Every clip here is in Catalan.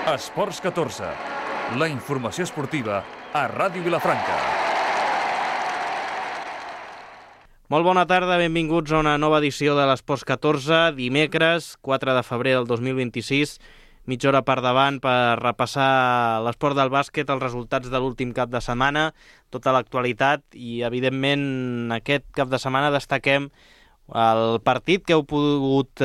Esports 14, la informació esportiva a Ràdio Vilafranca. Molt bona tarda, benvinguts a una nova edició de l'Esports 14, dimecres 4 de febrer del 2026, mitja hora per davant per repassar l'esport del bàsquet, els resultats de l'últim cap de setmana, tota l'actualitat i, evidentment, aquest cap de setmana destaquem el partit que heu pogut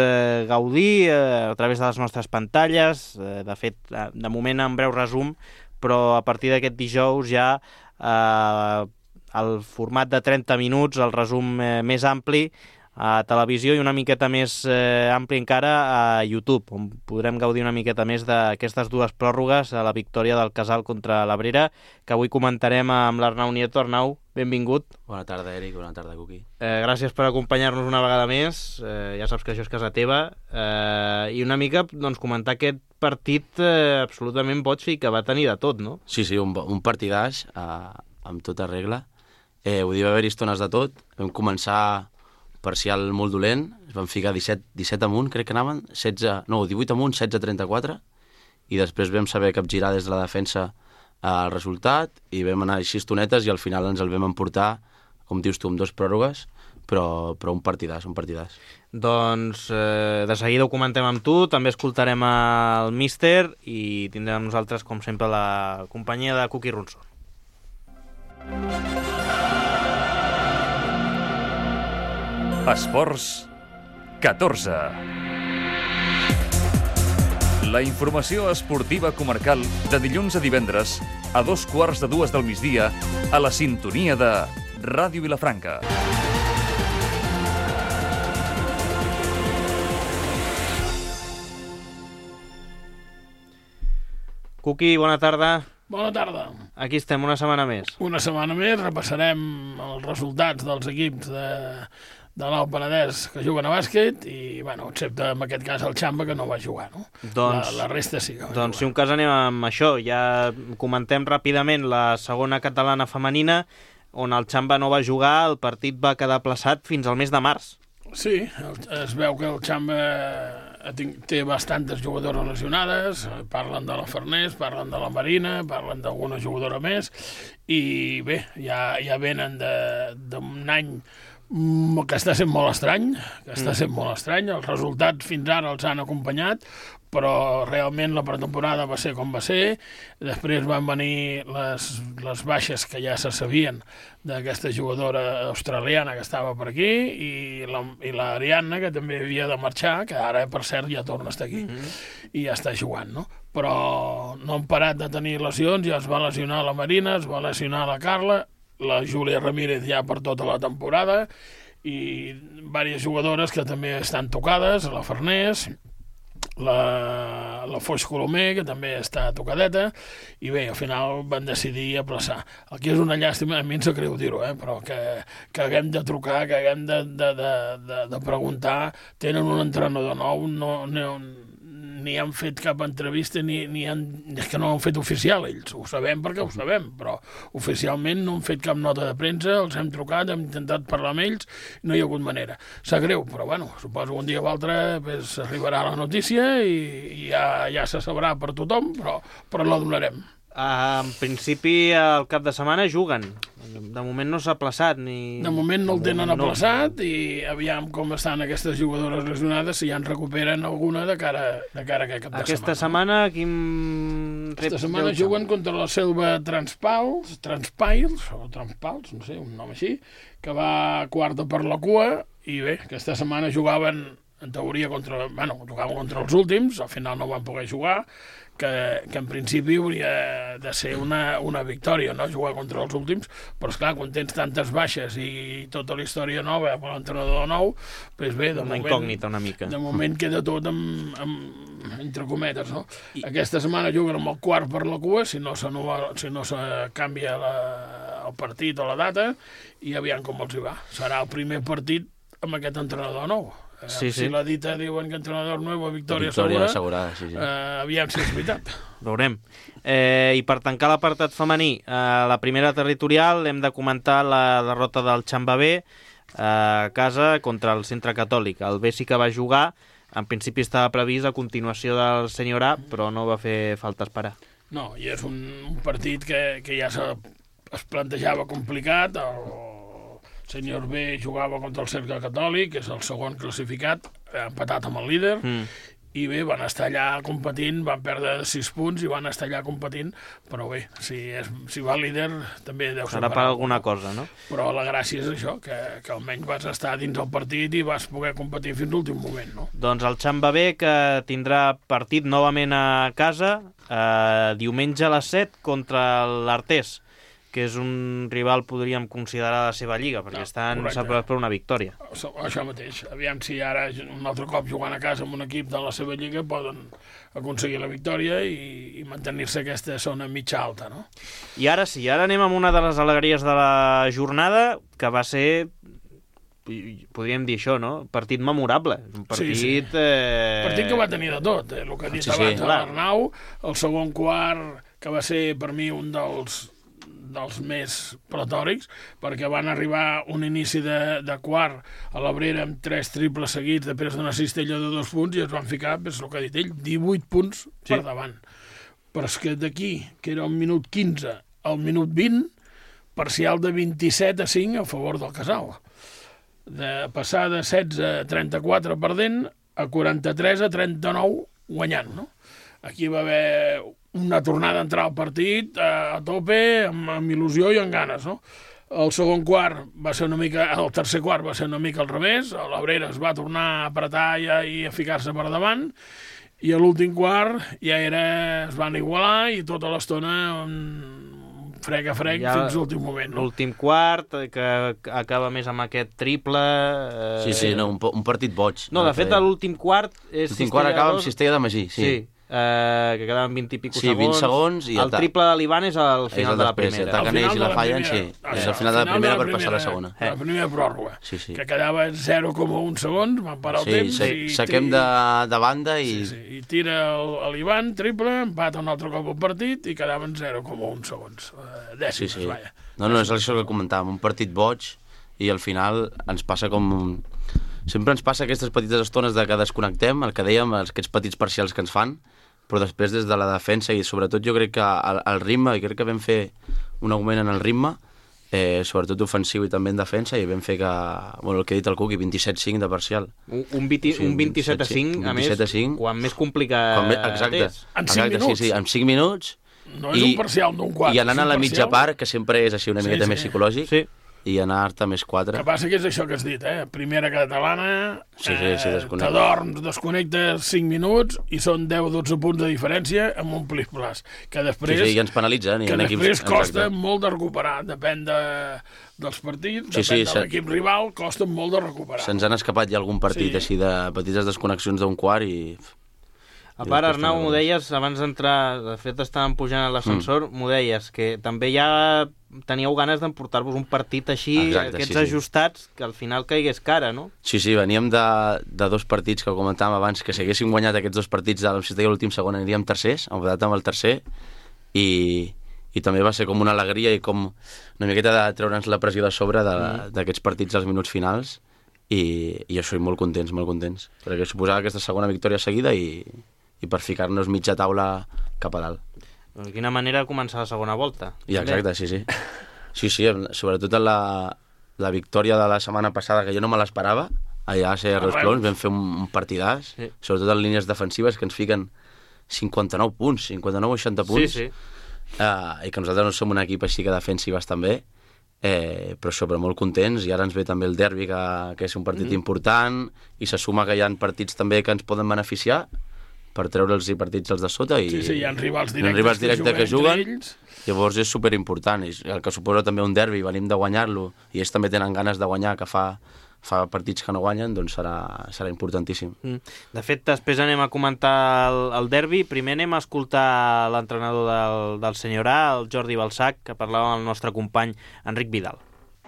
gaudir a través de les nostres pantalles, de fet, de moment en breu resum, però a partir d'aquest dijous ja el format de 30 minuts, el resum més ampli a televisió i una miqueta més ampli encara a YouTube, on podrem gaudir una miqueta més d'aquestes dues pròrrogues a la victòria del Casal contra l'Abrera, que avui comentarem amb l'Arnau Nieto. Arnau, benvingut. Bona tarda, Eric. Bona tarda, Cuqui. Gràcies per acompanyar-nos una vegada més. Ja saps que això és casa teva. I una mica doncs, comentar aquest partit absolutament boig i que va tenir de tot, no? Sí, un partidàs amb tota regla. Ho diu haver-hi estones de tot. Vam començar parcial molt dolent, es van ficar 17 amunt, crec que anaven, 18 amunt, 16-34, i després vam saber capgirar des de la defensa el resultat, i vam anar així estonetes, i al final ens el vam emportar, com dius tu, amb 2 pròrrogues, però un partidàs. Doncs de seguida ho comentem amb tu, també escoltarem el míster, i tindrem amb nosaltres, com sempre, la companyia de Cuqui Ronson. Esports 14. La informació esportiva comarcal de dilluns a divendres a 2:15 del migdia a la sintonia de Ràdio Vilafranca. Cuqui, bona tarda. Bona tarda. Aquí estem, una setmana més. Una setmana més, repassarem els resultats dels equips de l'Alt Penedès que juguen a bàsquet i, bueno, excepte en aquest cas el Xamba, que no va jugar, no? Doncs, la resta sí que va jugar. Doncs si un cas anem amb això, ja comentem ràpidament la segona catalana femenina, on el Xamba no va jugar, el partit va quedar aplaçat fins al mes de març. Sí, es veu que el Xamba té bastantes jugadores lesionades, parlen de la Farners, parlen de la Marina, parlen d'alguna jugadora més, i bé, ja venen d'un any que està sent molt estrany, els resultats fins ara els han acompanyat, però realment la pretemporada va ser com va ser, després van venir les baixes que ja se sabien d'aquesta jugadora australiana que estava per aquí i l'Ariadna, que també havia de marxar, que ara, per cert, ja torna a estar aquí i ja està jugant, no? Però no han parat de tenir lesions, ja es va lesionar la Marina, es va lesionar la Carla, la Júlia Ramírez ja per tota la temporada i diverses jugadores que també estan tocades, la Farners, la Foix Colomer, que també està tocadeta, i bé, al final van decidir aplaçar. El que és una llàstima, a mi em sap greu dir-ho, però que haguem de trucar, que haguem de preguntar, tenen un entrenador nou, ni han fet cap entrevista, és que no han fet oficial ells, ho sabem perquè ho sabem, però oficialment no han fet cap nota de premsa, els hem trucat, hem intentat parlar amb ells, no hi ha hagut manera. Sap greu, però bueno, suposo que un dia o altre pues, arribarà la notícia i ja se sabrà per tothom, però la donarem. En principi, al cap de setmana juguen. De moment no s'ha aplaçat. De moment no el tenen aplaçat i aviam com estan aquestes jugadores lesionades, si ja en recuperen alguna de cara a aquest cap de setmana. Aquesta setmana, Aquesta setmana juguen contra la Selva Transpals, no sé, un nom així, que va quarta per la cua, i bé, aquesta setmana jugaven, en teoria, jugaven contra els últims, al final no van poder jugar, que en principi hauria de ser una victòria, no?, jugar contra els últims, però esclar, quan tens tantes baixes i tota la història nova amb l'entrenador nou, doncs bé, una incògnita una mica. De moment queda tot entre cometes, no? Aquesta setmana juguen amb el quart per la cua, si no se canvia el partit o la data, i aviam com els hi va. Serà el primer partit amb aquest entrenador nou. Sí. Si la dita diuen que entrenador nou, victòria assegurada, sí. Aviam si és veritat. Veurem. I per tancar l'apartat femení, la primera territorial hem de comentar la derrota del Xamba B a casa contra el Centre Catòlic. El B sí que va jugar, En principi estava previst a continuació del senyor A, però no va fer falta esperar. No, i és un partit que ja es plantejava complicat. El senyor B jugava contra el Cercle Catòlic, que és el segon classificat, empatat amb el líder, i bé, van estar allà competint, van perdre 6 punts i van estar allà competint, però bé, si va líder també deu ser serà per alguna cosa, no? Però la gràcia és això, que almenys vas estar dins el partit i vas poder competir fins l'últim moment, no? Doncs el Xamba B, que tindrà partit novament a casa, diumenge a les 7 contra l'Artés, que és un rival, podríem considerar, la seva lliga, perquè estan separats per una victòria. Això mateix. Aviam si ara un altre cop jugant a casa amb un equip de la seva lliga poden aconseguir la victòria i mantenir-se aquesta zona mitja alta, no? I ara sí, ara anem amb una de les alegries de la jornada, que va ser, podríem dir això, no? Partit memorable. Un partit... Sí. Partit que va tenir de tot, el que ha dit abans l'Arnau, el segon quart, que va ser per mi un dels més platòrics, perquè van arribar un inici de quart a l'Abrera amb 3 triples seguits després d'una cistella de 2 punts i es van ficar, és el que ha dit ell, 18 punts per davant. Però és que d'aquí, que era el minut 15 al minut 20, parcial de 27 a 5 a favor del Casal. De passar de 16 a 34 perdent a 43 a 39 guanyant, no? Aquí va haver una tornada a entrar al partit a tope, amb il·lusió i amb ganes, no? El segon quart va ser una mica... El tercer quart va ser una mica al revés, l'Abrera es va tornar a apretar i a ficar-se per davant, i a l'últim quart ja es van igualar i tota l'estona frec a frec fins l'últim moment. No? L'últim quart, que acaba més amb aquest triple... un partit boig. No, de fet, l'últim quart... L'últim quart acaba amb cistella de Magí, sí. Que quedaven 20 i pico segons. 20 segons. I el triple de l'Ivan és al final de la primera. Taquen ells i la fallen, sí. És al final de la primera per passar a la segona. La primera pròrroga. Que quedava 0,1 segons, van parar el temps. Saquem de banda i... I tira l'Ivan, triple, empata un altre cop el partit i quedaven 0,1 segons. Dècimes, vaja. No, és això que comentàvem, un partit boig i al final ens passa com... Sempre ens passa aquestes petites estones de que desconnectem, el que dèiem, aquests petits parcials que ens fan, però després des de la defensa i sobretot jo crec que el ritme, i crec que vam fer un augment en el ritme, sobretot ofensiu i també en defensa, i vam fer que, bueno, el que ha dit el Cuqui, 27-5 de parcial. Un 27-5, a més, quan més complicat és. En 5 minuts. Sí, en 5 minuts. No és un parcial d'un quart. I anant a la mitja part, que sempre és així una miqueta més psicològic. Sí. I anar-te més 4. El que passa que és això que has dit, primera catalana, t'adorms, desconnectes 5 minuts i són 10-12 punts de diferència amb un plis-plas, que després, i ens penalitzen. Que després costa molt de recuperar, depèn dels partits, depèn de l'equip rival, costa molt de recuperar. Se'ns han escapat ja algun partit així de petites desconnexions d'un quart i... A part, Arnau, m'ho deies, abans d'entrar, de fet estàvem pujant a l'ascensor, m'ho deies, que també ja teníeu ganes d'emportar-vos un partit així, aquests ajustats, que al final caigués cara, no? Sí, veníem de 2 partits que comentàvem abans, que si haguéssim guanyat aquests 2 partits de l'últim segon aniríem tercers, empatat amb el tercer, i també va ser com una alegria i com una miqueta de treure'ns la pressió de sobre d'aquests partits als minuts finals, i això, molt contents, perquè suposava aquesta segona victòria seguida i per ficar-nos mitja taula cap a dalt. De quina manera de començar la segona volta. I exacte, sí, sobretot la victòria de la setmana passada, que jo no me l'esperava, allà a Serres Clons vam fer un partidàs, sobretot en línies defensives, que ens fiquen 59 punts, 59 o 60 punts, i que nosaltres no som un equip així que defensi bastant bé, però molt contents, i ara ens ve també el derbi, que és un partit important, i se suma que hi ha partits també que ens poden beneficiar, per treure'ls i partits els de sota, i hi ha rivals directes que juguen, llavors és superimportant, i el que suposa també un derbi, venim de guanyar-lo, i ells també tenen ganes de guanyar, que fa partits que no guanyen, doncs serà importantíssim. De fet, després anem a comentar el derbi, primer anem a escoltar l'entrenador del senyor A, el Jordi Balsac, que parlava amb el nostre company Enric Vidal.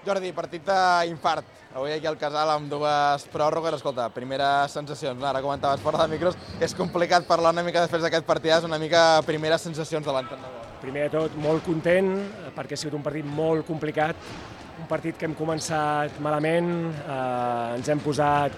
Jordi, partit d'infart. Avui aquí al Casal amb 2 pròrrogues. Escolta, primeres sensacions. Ara comentaves fora de micros. És complicat parlar una mica després d'aquest partidàs, una mica primeres sensacions de l'entrenador. Primer de tot, molt content, perquè ha sigut un partit molt complicat. Un partit que hem començat malament, ens hem posat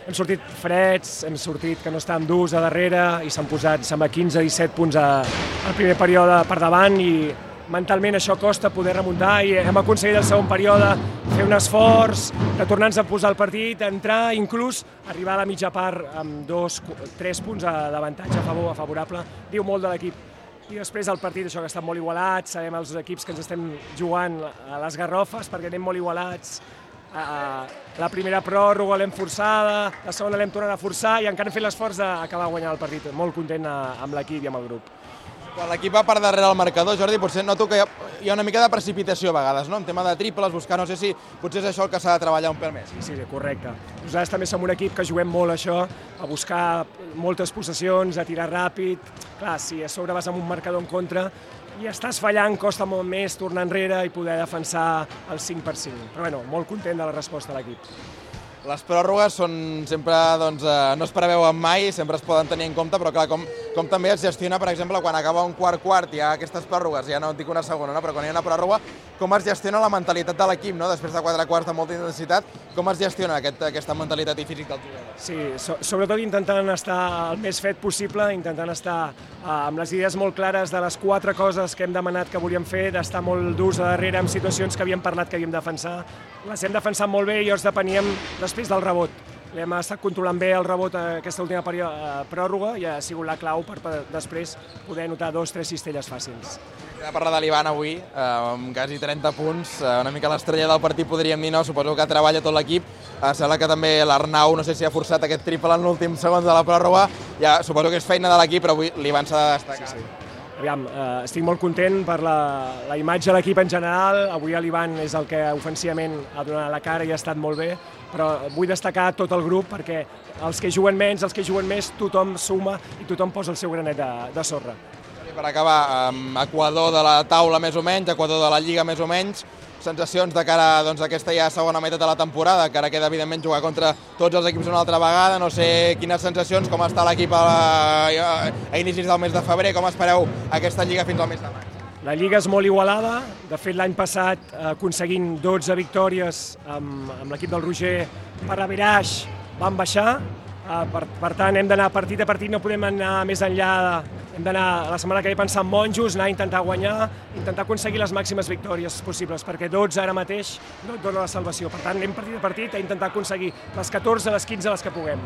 hem sortit freds, hem sortit que no estàvem durs a darrere i s'han posat, sembla, 15-17 punts al primer període per davant i mentalment això costa poder remuntar i hem aconseguit el segon període fer un esforç de tornar-nos a posar el partit, entrar, inclús arribar a la mitja part amb 2-3 punts d'avantatge favorable. Diu molt de l'equip. I després el partit, això que ha estat molt igualat, sabem els equips que ens estem jugant a les garrofes perquè anem molt igualats. La primera pròrroga l'hem forçada, la segona l'hem tornat a forçar i encara hem fet l'esforç d'acabar guanyant el partit. Molt content amb l'equip i amb el grup. Quan l'equip va per darrere el marcador, Jordi, potser noto que hi ha una mica de precipitació a vegades, no? En tema de triples, buscar, no sé si potser és això el que s'ha de treballar un pèl més. Sí, correcte. Nosaltres també som un equip que juguem molt això, a buscar moltes possessions, a tirar ràpid. Clar, si a sobre vas amb un marcador en contra i estàs fallant, costa molt més tornar enrere i poder defensar el 5/5. Però bueno, molt content de la resposta de l'equip. Les pròrrogues són sempre, doncs, no es preveuen mai, sempre es poden tenir en compte, però clar, com també es gestiona, per exemple, quan acaba un quart, hi ha aquestes pròrrogues, ja no et dic una segona, no? Però quan hi ha una pròrroga, com es gestiona la mentalitat de l'equip, no? Després de 4 quarts de molta intensitat, com es gestiona aquesta mentalitat i físic del jugador? Sí, sobretot intentant estar el més fet possible, intentant estar amb les idees molt clares de les 4 coses que hem demanat que volíem fer, d'estar molt durs a darrere en situacions que havíem parlat que havíem de defensar. Les hem defensat molt bé i llavors depeníem després del rebot. Hem estat controlant bé el rebot aquesta última pròrroga i ha sigut la clau per després poder notar 2-3 cistelles fàcils. Hem parlat de l'Ivan avui, amb quasi 30 punts, una mica l'estrella del partit podríem dir, no? Suposo que treballa tot l'equip. Sembla que també l'Arnau, no sé si ha forçat aquest triple en l'últim segon de la pròrroga. Ja, suposo que és feina de l'equip, però avui l'Ivan s'ha de destacar. Sí. Aviam, estic molt content per la imatge de l'equip en general. Avui l'Ivan és el que ofensivament ha donat la cara i ha estat molt bé, però vull destacar tot el grup perquè els que juguen menys, els que juguen més, tothom suma i tothom posa el seu granet de sorra. Per acabar, Equador de la taula més o menys, Equador de la Lliga més o menys, sensacions de cara a aquesta ja segona meitat de la temporada, que ara queda evidentment jugar contra tots els equips una altra vegada, no sé quines sensacions, com està l'equip a inicis del mes de febrer, com espereu aquesta Lliga fins al mes de maig? La Lliga és molt igualada, de fet l'any passat aconseguint 12 victòries amb l'equip del Roger per averaix van baixar, per tant hem d'anar partit a partit, no podem anar més enllà, hem d'anar la setmana que ve pensar en monjos, anar a intentar guanyar, intentar aconseguir les màximes victòries possibles, perquè 12 ara mateix no et dona la salvació, per tant anem partit a partit a intentar aconseguir les 14, les 15, les que puguem.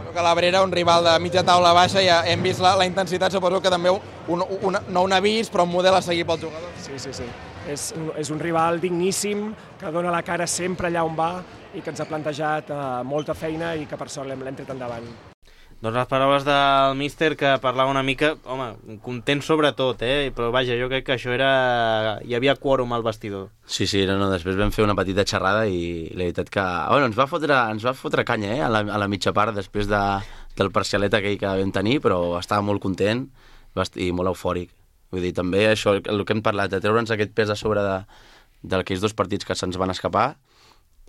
Que l'Abrera, un rival de mitja taula baixa, ja hem vist la intensitat, suposo que també no un avís, però un model a seguir pels jugadors. Sí. És un rival digníssim, que dona la cara sempre allà on va i que ens ha plantejat molta feina i que per sort l'hem tret endavant. Doncs les paraules del míster, que parlava una mica, home, content sobretot, però vaja, jo crec que això hi havia quòrum al vestidor. Sí, després vam fer una petita xerrada i la veritat que ens va fotre canya a la mitja part després del parcialet aquell que vam tenir, però estava molt content i molt eufòric. Vull dir, també això, el que hem parlat, de treure'ns aquest pes a sobre d'aquells 2 partits que se'ns van escapar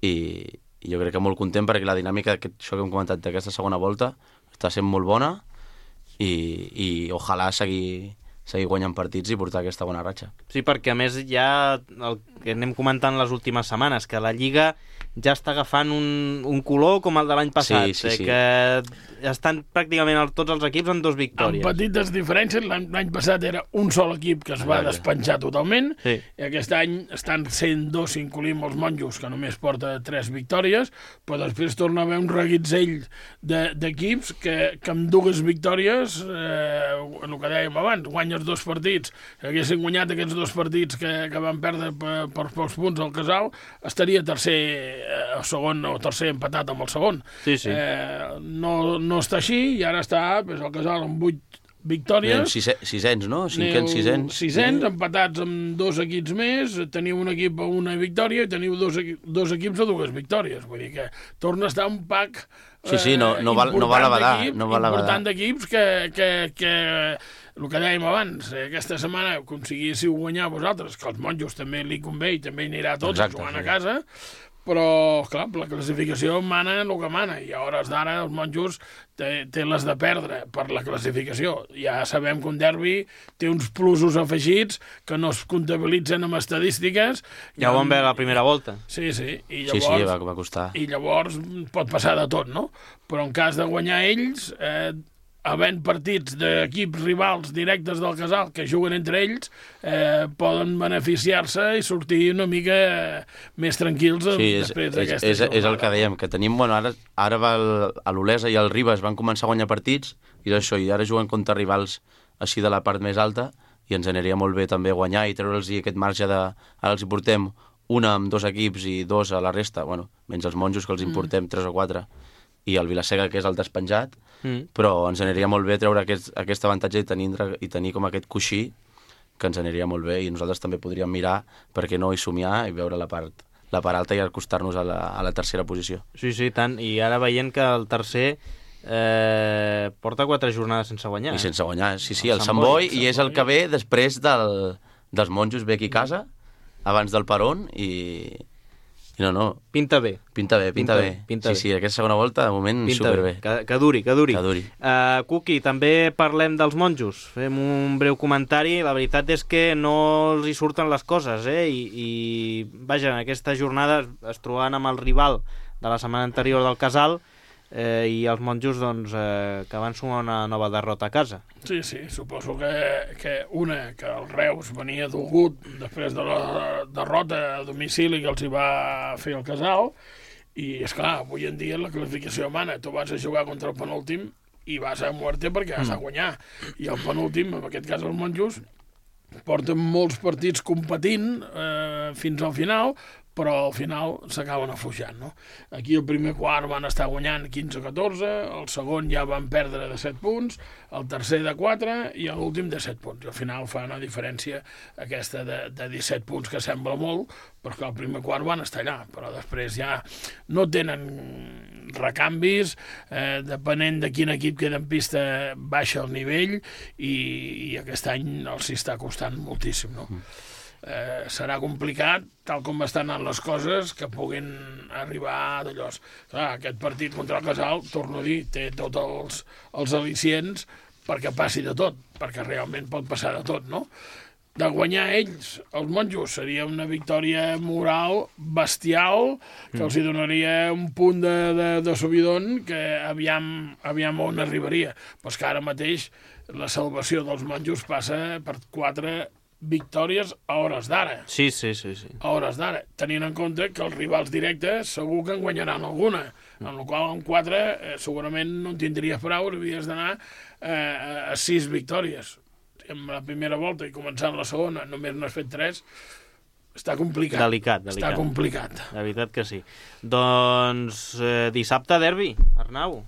i jo crec que molt content perquè la dinàmica, això que hem comentat d'aquesta segona volta, està sent molt bona i ojalà seguir guanyant partits i portar aquesta bona ratxa. Sí, perquè a més ja el que anem comentant les últimes setmanes, que la Lliga ja està agafant un color com el de l'any passat, sí. Que estan pràcticament tots els equips amb 2 victòries. Amb petites diferències, l'any passat era un sol equip que es va despenjar totalment, i aquest any estan sent 2 si incloïm els monjos, que només porta 3 victòries, però després torna a haver un reguitzell d'equips que amb 2 victòries, el que dèiem abans, guanyes 2 partits, que haguessin guanyat aquests 2 partits que van perdre per pocs punts al Casal, estaria tercer o segon o tercer empatat amb el segon. Sí. No està així i ara està el Casal amb 8 victòries. Sisens, no? Sisens, empatats amb 2 equips més, teniu un equip a una victòria i teniu 2 equips a 2 victòries. Vull dir que torna a estar un pack no val abadar. Important d'equips que el que dèiem abans, aquesta setmana aconseguíssiu guanyar vosaltres, que els monjos també li convé i també hi anirà tots jugant a casa, però, clar, la classificació mana el que mana, i a hores d'ara els monjos té les de perdre per la classificació. Ja sabem que un derbi té uns plusos afegits que no es comptabilitzen amb estadístiques. Ja ho vam veure la primera volta. Sí, i llavors, sí, va costar. I llavors pot passar de tot, no? Però en cas de guanyar ells, havent partits d'equips rivals directes del Casal que juguen entre ells, poden beneficiar-se i sortir una mica més tranquils després d'aquesta jornada. És el que dèiem, que tenim... Bueno, ara l'Olesa i el Ribes van començar a guanyar partits, i això, i ara juguen contra rivals així de la part més alta, i ens aniria molt bé també guanyar i treure'ls aquest marge de... Ara els hi portem una amb 2 equips i 2 a la resta, bueno, menys els monjos que els importem 3 o 4, i el Vilaseca, que és el despenjat, però ens aniria molt bé treure aquest avantatge i tenir com aquest coixí, que ens aniria molt bé, i nosaltres també podríem mirar, perquè no, i somiar i veure la part alta i acostar-nos a la tercera posició. Sí, tant, i ara veient que el tercer porta 4 jornades sense guanyar. I sense guanyar, sí, el Sant Boi, i és el que ve després dels monjos ve aquí a casa, abans del Perón, i no. Pinta bé. Sí, aquesta segona volta, de moment, superbé. Que duri. Cuqui, també parlem dels monjos. Fem un breu comentari. La veritat és que no els hi surten les coses, i vaja, en aquesta jornada es trobaven amb el rival de la setmana anterior del Casal, i els monjos que van sumar una nova derrota a casa. Sí, suposo que el Reus venia dolgut després de la derrota a domicili que els hi va fer el Casal, i esclar, avui en dia la classificació mana, tu vas a jugar contra el penúltim i vas a muerte perquè has de guanyar, i el penúltim, en aquest cas els monjos, porten molts partits competint fins al final, però al final s'acaben afluixant, no? Aquí el primer quart van estar guanyant 15-14, el segon ja van perdre de 7 punts, el tercer de 4 i l'últim de 7 punts. I al final fa una diferència aquesta de 17 punts, que sembla molt, però que el primer quart van estar allà, però després ja no tenen recanvis, depenent de quin equip queda en pista baixa el nivell, i aquest any els hi està costant moltíssim, no? Serà complicat, tal com estan anant les coses, que puguin arribar d'allò. Aquest partit contra el Casal, torno a dir, té tots els al·licients perquè passi de tot, perquè realment pot passar de tot, no? De guanyar ells, els monjos, seria una victòria moral bestial, que els hi donaria un punt de subidon que aviam on arribaria. Però és que ara mateix la salvació dels monjos passa per 4 victòries a hores d'ara. Sí. A hores d'ara, tenint en compte que els rivals directes segur que en guanyaran alguna, amb la qual en 4 segurament no en tindries prou, havies d'anar a 6 victòries. En la primera volta i començant la segona només n'has fet 3, està complicat. Delicat. Està complicat. La veritat que sí. Doncs dissabte derbi, Arnau.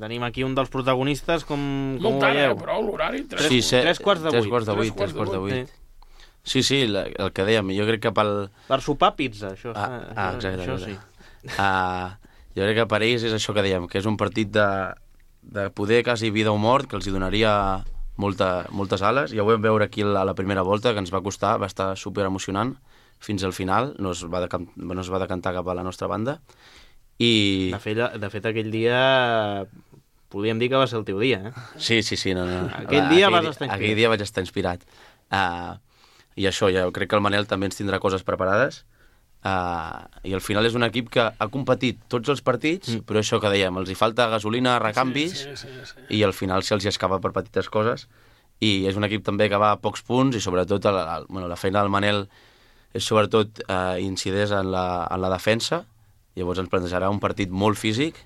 Tenim aquí un dels protagonistes, com ho veieu? Però l'horari... 3 quarts de 8. Sí, el que dèiem, jo crec que per sopar pizza, això. Exacte. Això sí. Jo crec que per ells és això que dèiem, que és un partit de poder quasi vida o mort, que els hi donaria moltes ales. Ja ho vam veure aquí a la primera volta, que ens va costar, va estar super emocionant fins al final, no es va decantar cap a la nostra banda. I... De fet, aquell dia podríem dir que va ser el teu dia, Sí, no. Aquell dia vas estar inspirat. Aquell dia vaig estar inspirat. I això, ja crec que el Manel també ens tindrà coses preparades, i al final és un equip que ha competit tots els partits, però això que dèiem, els hi falta gasolina, recanvis, sí. I al final se'ls hi escapa per petites coses, i és un equip també que va a pocs punts, i sobretot la feina del Manel és sobretot incideix en la defensa. Llavors ens plantejarà un partit molt físic,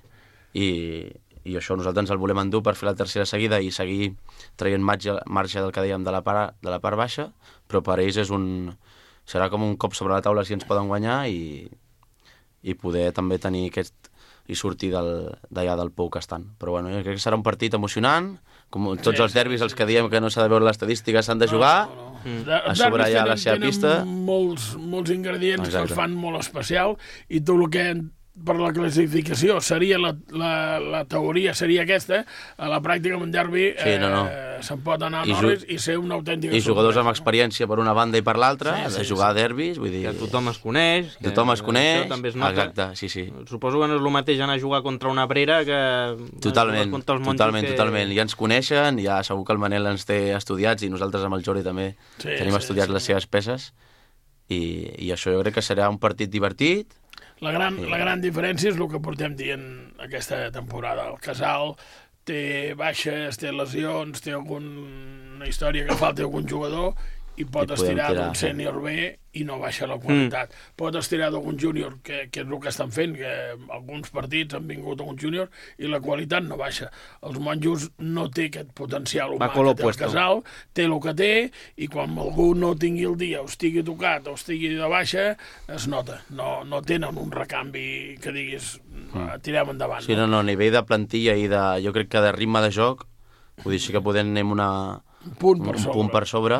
i això nosaltres ens el volem endur per fer la tercera seguida i seguir traient marge del que dèiem de la part baixa, però per ells serà com un cop sobre la taula si ens poden guanyar, i poder també tenir i sortir d'allà del pou que estan. Però bueno, jo crec que serà un partit emocionant, com tots els derbis, els que diem que no s'ha de veure l'estadística, s'han de jugar, a sobre ja la seva pista. Molts ingredients que els fan molt especial, i tu el que per la classificació seria la teoria seria aquesta, a la pràctica amb un derbi se'n pot anar a Norris i ser una autèntica i jugadors amb experiència per una banda i per l'altra, de jugar a derbis, vull dir... Que tothom es coneix. Tothom es coneix, també es nota. exacte, sí. Suposo que no és el mateix anar a jugar contra una Abrera que... Totalment. Ja ens coneixen, ja segur que el Manel ens té estudiats i nosaltres amb el Jordi també tenim estudiats les seves peces i això jo crec que serà un partit divertit. La gran diferència és el que portem dient aquesta temporada. El Casal té baixes, té lesions, té alguna història que falta algun jugador i pot estirar d'un sènior B i no baixa la qualitat. Pot estirar d'algun júnior, que és el que estan fent, que alguns partits han vingut algun júnior i la qualitat no baixa. Els monjos no té aquest potencial humà que té el Casal, té el que té, i quan algú no tingui el dia, o estigui tocat o estigui de baixa, es nota. No tenen un recanvi que diguis tirem endavant. Sí, no, a nivell de plantilla i jo crec que de ritme de joc, vull dir, sí que podem anem un punt per sobre,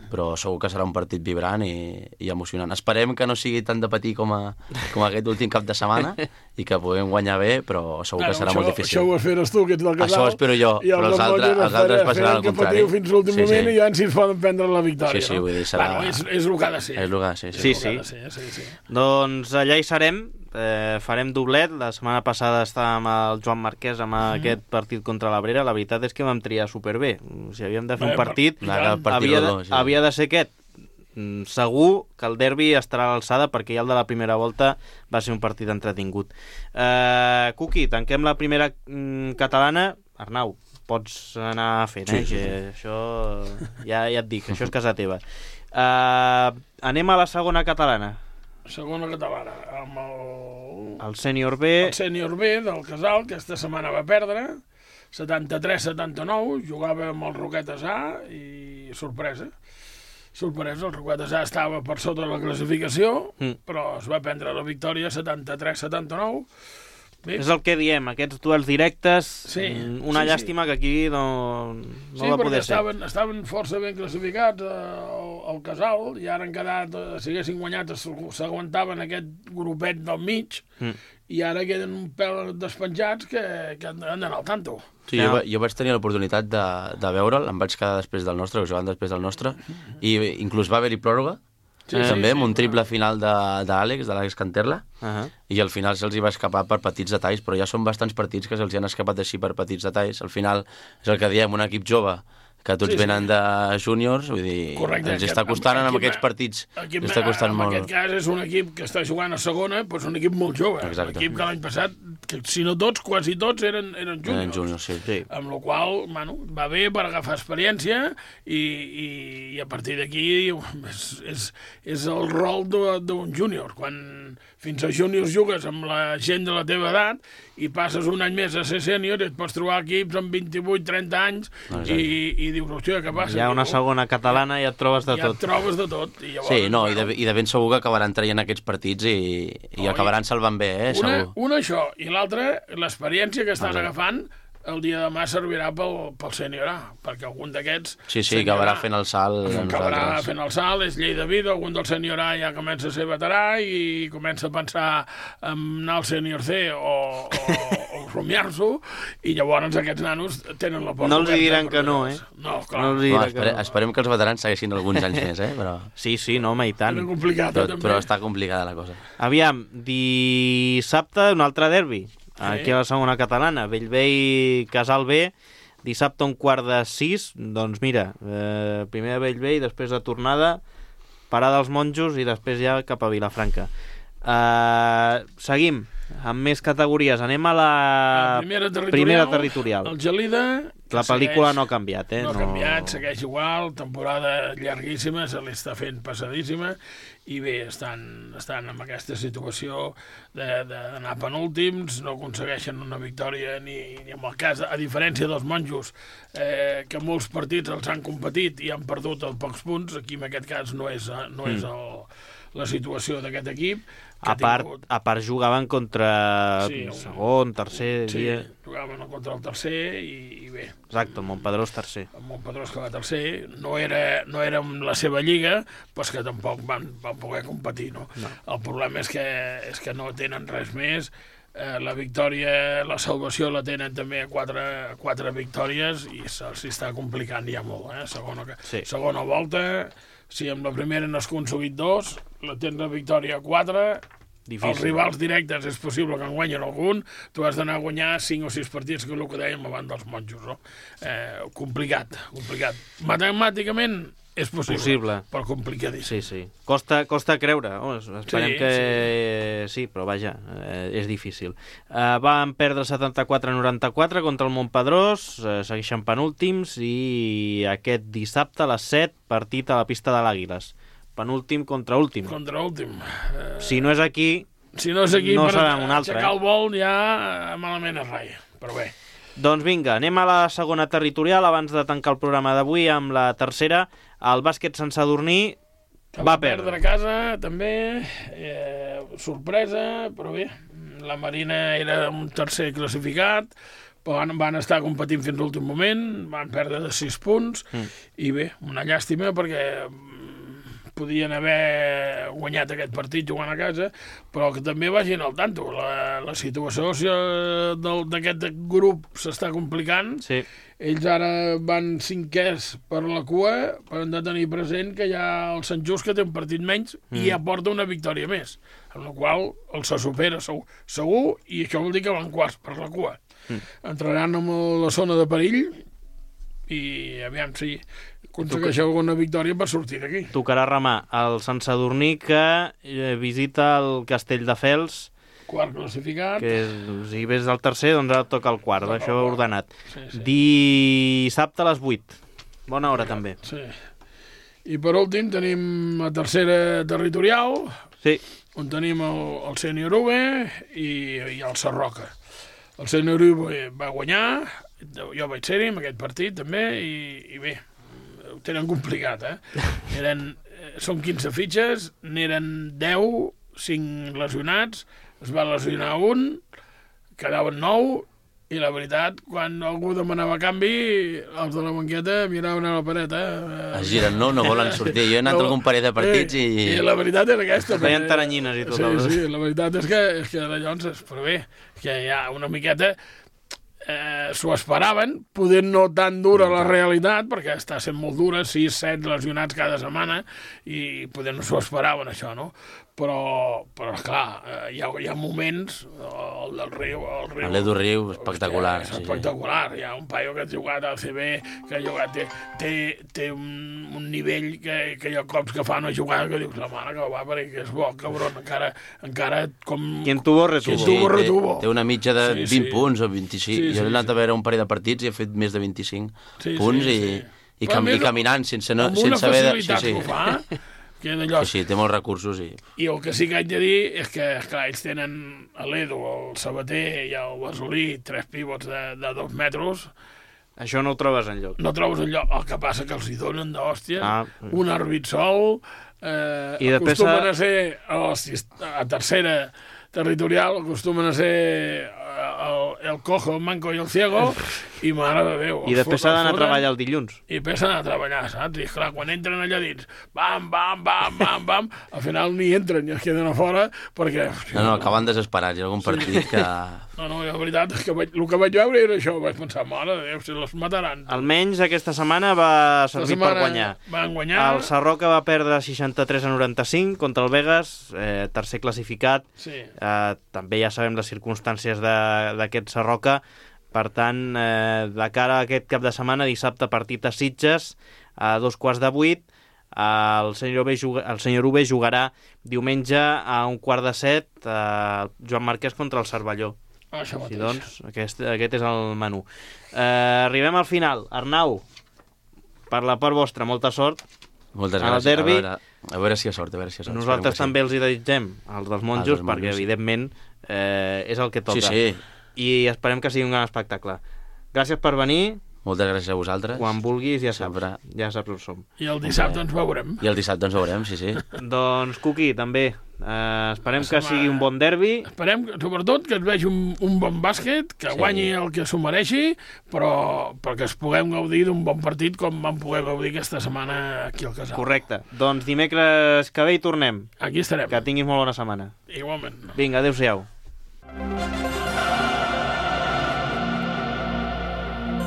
però segur que serà un partit vibrant i emocionant. Esperem que no sigui tan de patir com aquest últim cap de setmana i que puguem guanyar bé, però segur que serà molt difícil. Això ho esperes tu, que ets del Casal. Això ho espero jo, però els altres passaran al contrari. Que patiu fins l'últim moment i ja si ens poden prendre la victòria. Sí, vull dir, serà... És el que ha de ser. És el que ha de ser, sí. Doncs allà hi serem. Farem doblet. La setmana passada estàvem amb el Joan Marquès amb aquest partit contra l'Abrera. La veritat és que vam triar superbé. Si havíem de fer un partit, havia de ser aquest. Segur que el derbi estarà a l'alçada perquè ja el de la primera volta va ser un partit entretingut. Cuqui, tanquem la primera catalana. Arnau, pots anar fent, que això ja et dic, això és casa teva. Anem a la segona catalana. Segona catalana, amb el sènior B. El sènior B del Casal, que aquesta setmana va perdre, 73-79, jugava amb el Roquetes A i sorpresa, el Roquetes A estava per sota de la classificació, però es va prendre la victòria 73-79. És el que diem, aquests duels directes, una llàstima que aquí no va poder ser. Sí, perquè estaven força ben classificats al Casal i ara han quedat, si haguessin guanyat, s'aguantaven aquest grupet del mig i ara queden un pèl despenjats que han d'anar al tanto. Sí, jo vaig tenir l'oportunitat de veure'l, em vaig quedar després del nostre, que jugaven després del nostre, i inclús va haver-hi pròrroga, també, amb un triple final d'Àlex Canterla, i al final se'ls hi va escapar per petits detalls, però ja són bastants partits que se'ls hi han escapat així per petits detalls. Al final és el que diem, un equip jove que tots venen de júniors, vull dir, els està costant en aquests partits, els està costant molt. En aquest cas és un equip que està jugant a segona, però és un equip molt jove. Un equip que l'any passat, que si no tots, quasi tots eren júniors. Amb la qual cosa, va bé per agafar experiència i a partir d'aquí és el rol d'un júnior. Quan fins a júniors jugues amb la gent de la teva edat i passes un any més a ser sènior i et pots trobar equips amb 28-30 anys i dius, hòstia, què passa? Hi ha una segona catalana i et trobes de tot. Ja et trobes de tot. Sí, i de ben segur que acabaran traient aquests partits i acabaran salvant bé, segur. Una això, i l'altra, l'experiència que estan agafant, el dia de demà servirà pel sènior A, perquè algun d'aquests... Sí, acabarà fent el salt. Acabarà fent el salt, és llei de vida, algun del sènior A ja comença a ser veterà i comença a pensar en anar al sènior C o rumiar-s'ho, i llavors aquests nanos tenen la porta. No els diran que no, No, clar. Esperem que els veterans segueixin alguns anys més, però... Sí, no, home, i tant. Però està complicada la cosa. Aviam, dissabte un altre derbi. Aquí a la segona catalana, Bellvei Casal B, dissabte 5:45, doncs mira, primer a Bellvei, després de tornada, parada als monjos i després ja cap a Vilafranca. Seguim amb més categories, anem a la primera territorial. El Gelida... La pel·lícula no ha canviat, No ha canviat, segueix igual, temporada llarguíssima, se li està fent passadíssima, i bé, estan en aquesta situació d'anar penúltims, no aconsegueixen una victòria ni en el cas, a diferència dels monjos, que molts partits els han competit i han perdut a pocs punts, aquí en aquest cas no és la situació d'aquest equip. A part jugaven contra segon, tercer... Sí, jugaven contra el tercer i bé. Exacte, el Montpedrós tercer. El Montpedrós que va tercer, no era la seva lliga, però que tampoc van poder competir, no? El problema és que no tenen res més. La victòria, la salvació la tenen també a quatre victòries i s'hi està complicant ja molt, segona volta. Si amb la primera n'has aconseguit 2, la tens la victòria a 4, difícil. Els rivals directes és possible que en guanyin algun, tu has d'anar a guanyar 5 o 6 partits, que és el que dèiem abans dels monjos, no? Complicat. Matemàticament és possible. Però complicadíssim. Sí. Costa creure. Esperem que sí, però vaja, és difícil. Van perdre 74-94 contra el Montpedrós, segueixen penúltims, i aquest dissabte a les 7, partit a la pista de l'Àguiles. Penúltim contra últim. Si no és aquí, no serà un altre. Aixecar el vol ja malament es raia, però bé. Doncs vinga, anem a la segona territorial abans de tancar el programa d'avui amb la tercera. El bàsquet Sant Sadurní va perdre a casa, també, sorpresa, però bé, la Marina era un tercer classificat, però van estar competint fins a l'últim moment, van perdre de 6 punts, i bé, una llàstima perquè podien haver guanyat aquest partit jugant a casa, però que també vagin al tanto. La situació d'aquest grup s'està complicant. Sí. Ells ara van 5è per la cua, però han de tenir present que hi ha el Sant Just, que té un partit menys, i ja porta una victòria més, amb la qual el se supera segur, i això vol dir que van quarts per la cua. Entraran en la zona de perill, i aviam si aconsegueix alguna victòria per sortir d'aquí. Tocarà remar el Sant Sadurní, que visita el Castelldefels, quart classificat, que si ves del tercer, doncs ara toca el quart, això ordenat. Sí. Dissabte a les 8, bona hora també. Sí. I per últim tenim la tercera territorial, on tenim el Sènior UB i el Sarroca. El Sènior UB va guanyar, jo vaig ser-hi en aquest partit també, i bé, ho tenen complicat, són 15 fitxes, n'eren 10, 5 lesionats, es va lesionar un, quedaven 9, i la veritat, quan algú demanava canvi, els de la banqueta miraven a la paret. Es giren, no volen sortir. Jo he anat a algun parell de partits i la veritat és aquesta. Feien taranyines i tot. Sí, la veritat és que llavors, però bé, que hi ha una miqueta... s'ho esperaven, podent no tan dura la realitat, perquè està sent molt dura, 6-7 lesionats cada setmana, i podent no s'ho esperaven, això, no? Però clar, hi ha moments, el del Riu... L'Edu Riu, espectacular. És espectacular, hi ha un paio que ha jugat al CB, que ha jugat, té un nivell que hi ha cops que fa una jugada que dius, la mare que va, perquè és bo, cabron, encara com... Quien tuvo, retuvo. Té una mitja de 20 punts o 25. Jo he anat a veure un parell de partits i he fet més de 25 punts i caminant sense haver de... Amb una facilitat que ho fa... Sí, té molts recursos. I el que sí que haig de dir és que, esclar, ells tenen l'Edu, el Sabater i el Basolí, 3 pivots de 2 metres. Això no ho trobes enlloc. No trobes enlloc. El que passa que els hi donen d'hòstia. Un àrbit sol. Acostumen a ser a tercera territorial, acostumen a ser el cojo, el manco i el ciego, i mare de Déu. I després s'ha d'anar a treballar el dilluns. I després s'ha d'anar a treballar, saps? I clar, quan entren allà dins, bam, al final ni entren, i es queden a fora, perquè... No, acaben desesperats, hi ha algun partit que... No, la veritat és que el que vaig veure era això, vaig pensar, mare de Déu, si les mataran. Almenys aquesta setmana va servir per guanyar. Van guanyar. El Sarroca va perdre 63-95 contra el Vegas, tercer classificat. Sí. També ja sabem les circumstàncies d'aquest Sarroca. Per tant, de cara a aquest cap de setmana, dissabte partit a Sitges, a 2:15, el senyor UB jugarà diumenge a 6:15 Joan Marquès contra el Cervelló. Això mateix. Doncs, aquest és el menú. Arribem al final. Arnau, per la part vostra, molta sort. Moltes gràcies. Al derbi. A veure si hi ha sort, Nosaltres també els hi desitgem, els dels monjos, perquè evidentment és el que toca. Sí. I esperem que sigui un gran espectacle. Gràcies per venir. Moltes gràcies a vosaltres. Quan vulguis ja saps, Sempre. ja saps on som. I el dissabte ens veurem. I el dissabte ens veurem, sí. Doncs, Cuqui, també. Esperem que sigui un bon derbi. Esperem, sobretot, que es vegi un bon bàsquet, que guanyi el que s'ho mereixi, però perquè es puguem gaudir d'un bon partit com vam poder gaudir aquesta setmana aquí al Casal. Correcte. Doncs dimecres que ve hi tornem. Aquí estarem. Que tinguis molt bona setmana. Igualment. Vinga, adéu-siau.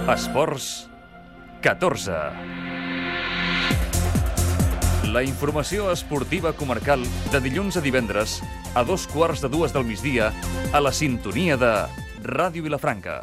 Esports 14. La informació esportiva comarcal de dilluns a divendres a 2:15 del migdia a la sintonia de Ràdio Vilafranca.